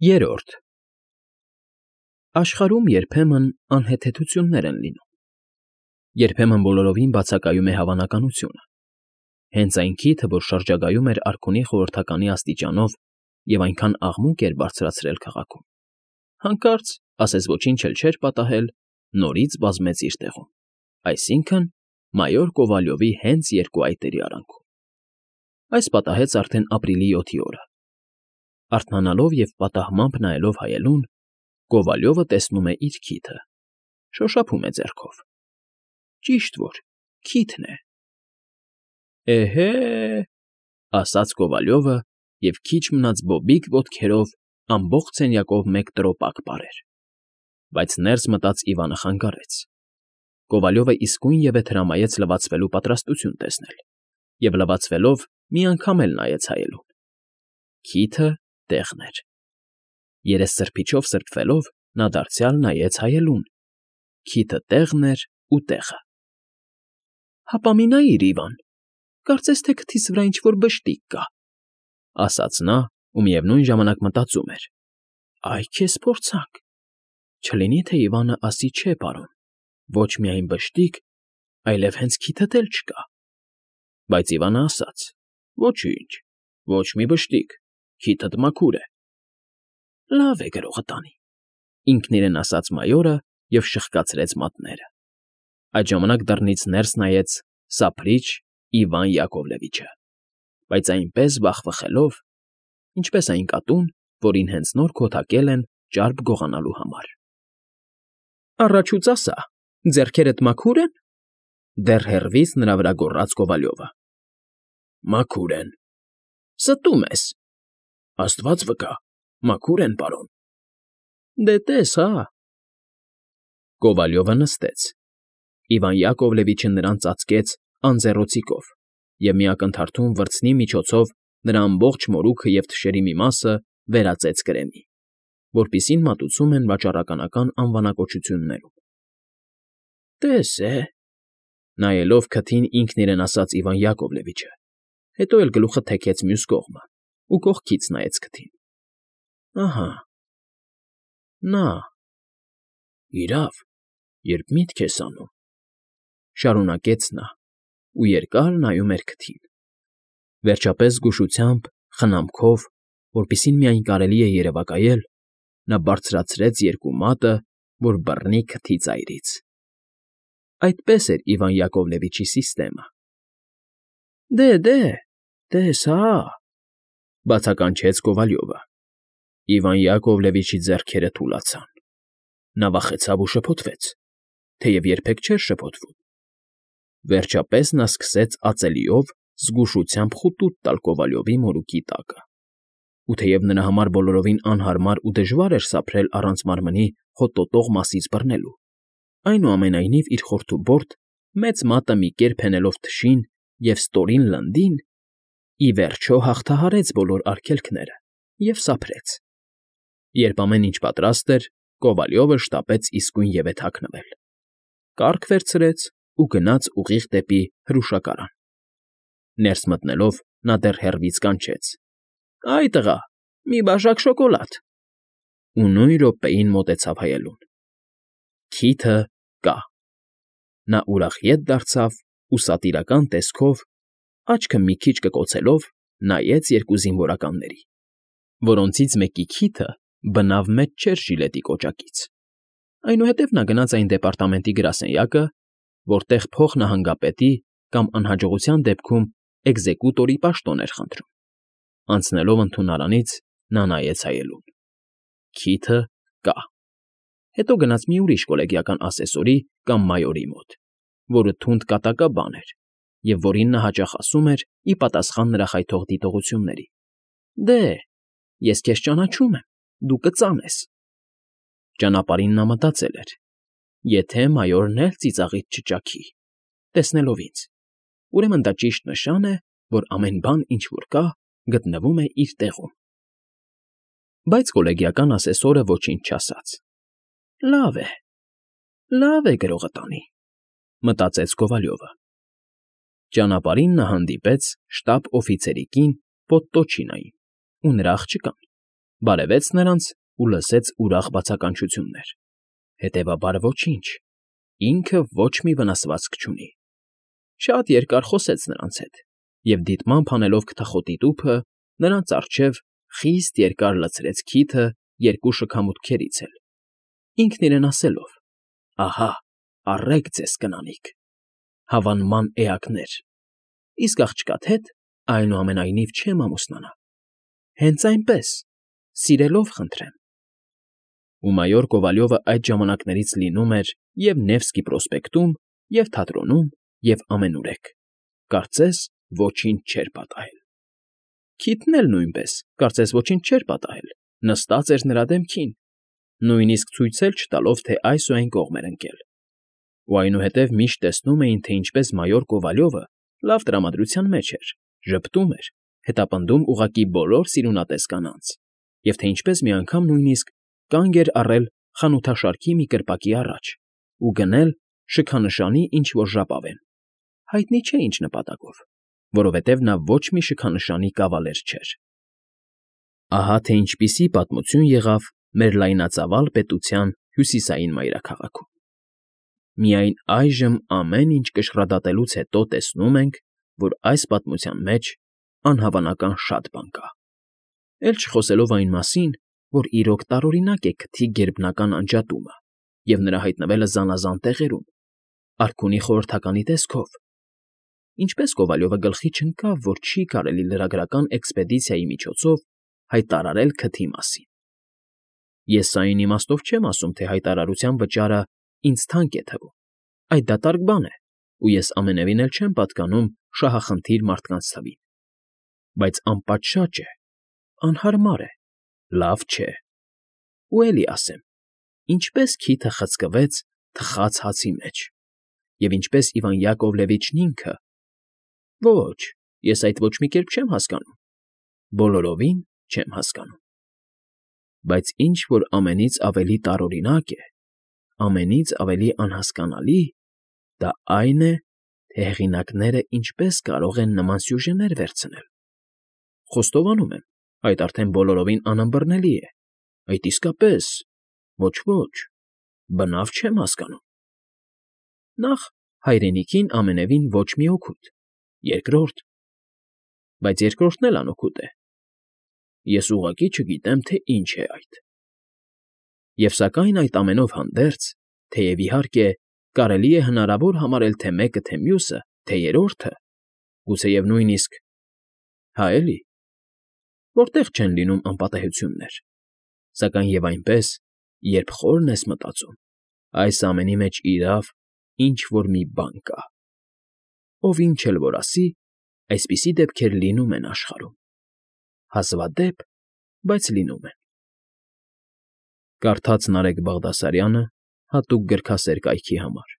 Երրորդ Աշխարհում երբեմն անհեթեթություններ են լինում, երբեմն բոլորովին բացակայում է հավանականությունը, հենց այն քիթը, որ շրջագայում էր արքունի խորհրդականի աստիճանով և այնքան աղմուկ էր բարձրացրել քաղաքում, հանկարծ, ասես ոչինչ էլ չէր պատահել, նորից բազմեց իր տեղում, այսինքն՝ մայոր Կովալյովի հենց երկու այտերի արանքում։ Այս պատահեց արդեն ապրիլի 7-ի օրը։ Արթնանալով և պատահմամբ նայելով հայելուն, Կովալյովը տեսնում է իր քիթը, շոշափում է ձեռքով։ Ճիշտ որ քիթն է։ Էհե՜, ասաց Կովալյովը և քիչ մնաց բոբիկ ոտքերով ամբողջ սենյակով մեկ տրոպակ պարեր։ Բայց ներս մտած Իվանը խանգարեց։ Կովալյովը իսկույնևեթ հրամայեց լվացվելու պատրաստություն տեսնել և, լվացվելով, մի անգամ էլ նայեց հայելուն։ Քիթը տեղն էր։ Երեսսրբիչով սրբվելով՝ նա դարձյալ նայեց հայելուն։ Քիթը տեղն էր ու տեղը։ Հապա մի նայիր, Իվան, կարծես թե քթիս վրա ինչ֊որ բշտիկ կա, ասաց նա ու միևնույն ժամանակ մտածում էր. «Այ քեզ փորձանք, չլինի թե Իվանը ասի՝ չէ, պարոն, ոչ միայն բշտիկ, այլև հենց քիթդ էլ չկա»։ Բայց Իվանը ասաց. «Ոչինչ, ոչ մի բշտիկ, քիթդ մաքուր է»։ Լավ է, գրողը տանի, ինքն իրեն ասաց մայորը և շխկացրեց մատները։ Այդ ժամանակ դռնից ներս նայեց սափրիչ Իվան Յակովլևիչը, բայց այնպես վախվխելով, ինչպես այն կատուն, որին հենց նոր քոթակել են ճարպ գողանալու համար։ Առաջուց ասա, ձեռքերդ մաքուր են, դեռ հեռվից նրա վրա գոռաց Կովալյովը։ Մաքուր են։ Ստում ես։ Աստված վկա, մաքուր են, պարոն։ Դե տես, հա։ Կովալյովը նստեց։ Իվան Յակովլևիչը նրան ծածկեց անձեռոցիկով և մի ակնթարթում վրձնի միջոցով նրա ամբողջ մորուքը և թշերի մի մասը վերածեց կրեմի, որպիսին մատուցում են վաճառականական անվանակոչություններում։ Տես է, նայելով քթին ինքն իրեն ասաց Իվան Յակովլևիչը, հետո էլ գլուխը թեքեց մյուս կողմը ու կողքից նայեց քթին։ Ահա, նա, իրավ, երբ միտք ես անում, շարունակեց նա ու երկար նայում էր քթին։ Վերջապես զգուշությամբ, խնամքով, որպիսին միայն կարելի է երևակայել, նա բարձրացրեց երկու մատը, որ բռնի քթի ծայրից։ Այդպես էր Իվան Յակովլևիչի սիստեմը։ Դե, տես, հա, բացականչեց Կովալյովը։ Իվան Յակովլևիչի ձեռքերը թուլացան։ Նա վախեցավ ու շփոթվեց, թեև երբեք չէր շփոթվում։ Վերջապես նա սկսեց ածելիով զգուշությամբ խուտուտ տալ Կովալյովի մորուքի տակը, ու թեև նրա համար բոլորովին անհարմար ու դժվար էր սափրել առանց մարմնի հոտոտող մասից բռնելու, այնուամենայնիվ իր խորթուբորդ մեծ մատը մի կերպ հենելով թշին և ստորին լնդին, ի վերջո հաղթահարեց բոլոր արգելքները և սափրեց։ Երբ ամեն ինչ պատրաստ էր, Կովալյովը շտապեց իսկույնևեթ հագնվել, կառք վերցրեց ու գնաց ուղիղ դեպի հրուշակարան։ Ներս մտնելով՝ նա դեռ հեռվից կանչեց. Այ տղա, մի բաժակ շոկոլադ։ Ու նույն րոպեին մոտեցավ հայելուն։ Քիթը կա։ Նա ուրախ ետ դարձավ ու սատիրական տեսքով, աչքը մի քիչ կկոցելով, նայեց երկու զինվորականների, որոնցից մեկի քիթը բնավ մեծ չէր ժիլետի կոճակից։ Այնուհետև նա գնաց այն դեպարտամենտի գրասենյակը, որտեղ փոխնահանգապետի կամ անհաջողության դեպքում էկզեկուտորի պաշտոն էր խնդրում։ Անցնելով ընդունարանից՝ նա նայեց հայելուն։ Քիթը կա։ Հետո գնաց մի ուրիշ կոլեգիական ասեսորի կամ մայորի մոտ, որը թունդ կատակաբան էր և որին նա հաճախ ասում էր ի պատասխան նրա խայթող դիտողությունների. Դե, ես քեզ ճանաչում եմ, դու կծանես։ Ճանապարհին նա մտածել էր. եթե մայորն էլ ծիծաղից չճաքի, տեսնելով ինձ, ուրեմն դա ճիշտ նշան է, որ ամեն բան, ինչ որ կա, գտնվում է իր տեղում։ Բայց կոլեգիական ասեսորը ոչինչ չասաց։ Լավ է, գրողը տանի, մտածեց Կովալյովը։ Ճանապարհին նա հանդիպեց շտաբ֊օֆիցերի կին Պոդտոչինային ու նրա աղջկան, բարևեց նրանց ու լսեց ուրախ բացականչություններ։ Հետևաբար ոչինչ, ինքը ոչ մի վնասվածք չունի։ Շատ երկար խոսեց նրանց հետ և դիտմամբ հանելով քթախոտի տուփը, նրանց առջև խիստ երկար լցրեց քիթը երկու շքամուտքերից էլ, ինքն իրեն ասելով. «Ահա, առեք ձեզ, կնանիք, հավանման էակներ, իսկ աղջկադ հետ, այնուամենայնիվ, չեմ ամուսնանա, հենց այնպես, սիրելով խնդրեմ»։ Ու մայոր Կովալյովը այդ ժամանակներից լինում էր և Նևսկի պրոսպեկտում, և թատրոնում, և ամենուրեք, կարծես ոչինչ չէր պատահել։ Քիթն էլ նույնպես, կարծես ոչինչ չէր պատահել, նստած էր նրա դեմքին, նույնիսկ ցույց էլ չտալով, թե այս ու այն կողմ էր ընկել։ Ու այնուհետև միշտ տեսնում էին, թե ինչպես մայոր Կովալյովը լավ տրամադրության մեջ էր, ժպտում էր, հետապնդում ուղղակի բոլոր սիրունատես կանանց, և թե ինչպես մի անգամ նույնիսկ կանգ էր առել խանութաշարքի մի կրպակի առաջ ու գնել շքանշանի ինչ֊որ ժապավեն, հայտնի չէ ինչ նպատակով, որովհետև նա ոչ մի շքանշանի կավալեր չէր։ Ահա թե ինչպիսի պատմություն եղավ մեր լայնածավալ պետության հյուսիսային մայրաքաղաքում։ Միայն այժմ ամեն ինչ կշռադատելուց հետո տեսնում ենք, որ այս պատմության մեջ անհավանական շատ բան կա, էլ չխոսելով այն մասին, որ իրոք տարօրինակ է քթի գերբնական անջատումը և նրա հայտնվելը զանազան տեղերում, արքունի խորհրդականի տեսքով։ Ինչպես Կովալյովը գլխի չընկավ, որ չի կարելի լրագրական էքսպեդիցիայի միջոցով հայտարարել քթի մասին։ Ես սա այն իմաստով չեմ ասում, թե հայտարարության վճարը ինձ թանկ է թվում, այդ դատարկ բան է, ու ես ամենևին էլ չեմ պատկանում շահախնդիր մարդկանց թվին, բայց անպատշաճ է, անհարմար է, լավ չէ։ Ու էլի ասեմ. ինչպես քիթը խցկվեց թխած հացի մեջ, և ինչպես Իվան Յակովլևիչն ինքը… Ոչ, ես այդ ոչ մի կերպ չեմ հասկանում, բոլորովին չեմ հասկանում։ Բայց ինչ որ ամենից ավելի տարօրինակ է, ամենից ավելի անհասկանալի, դա այն է, թե հեղինակները ինչպես կարող են նման սյուժեներ վերցնել։ Խոստովանում եմ, այդ արդեն բոլորովին անըմբռնելի է, այդ իսկապես… ոչ, բնավ չեմ հասկանում։ Նախ, հայրենիքին ամենևին ոչ մի օգուտ, երկրորդ… Բայց երկրորդն էլ անօգուտ է։ Ես ուղղակի չգիտեմ, թե ինչ է այդ։ Եվ սակայն այդ ամենով հանդերձ, թեև, իհարկե, կարելի է հնարավոր համարել թե մեկը, թե մյուսը, թե երրորդը, գուցեև նույնիսկ… Հա էլի, որտեղ չեն լինում անպատեհություններ, սակայն և այնպես, երբ խորն ես մտածում, այս ամենի մեջ իրավ ինչ֊որ մի բան կա։ Ով ինչ էլ որ ասի, այսպիսի դեպքեր լինում են աշխարհում, հազվադեպ, բայց լինում են։ Կարդաց Նարեկ Բաղդասարյանը հատուկ գրքասեր կայքի համար։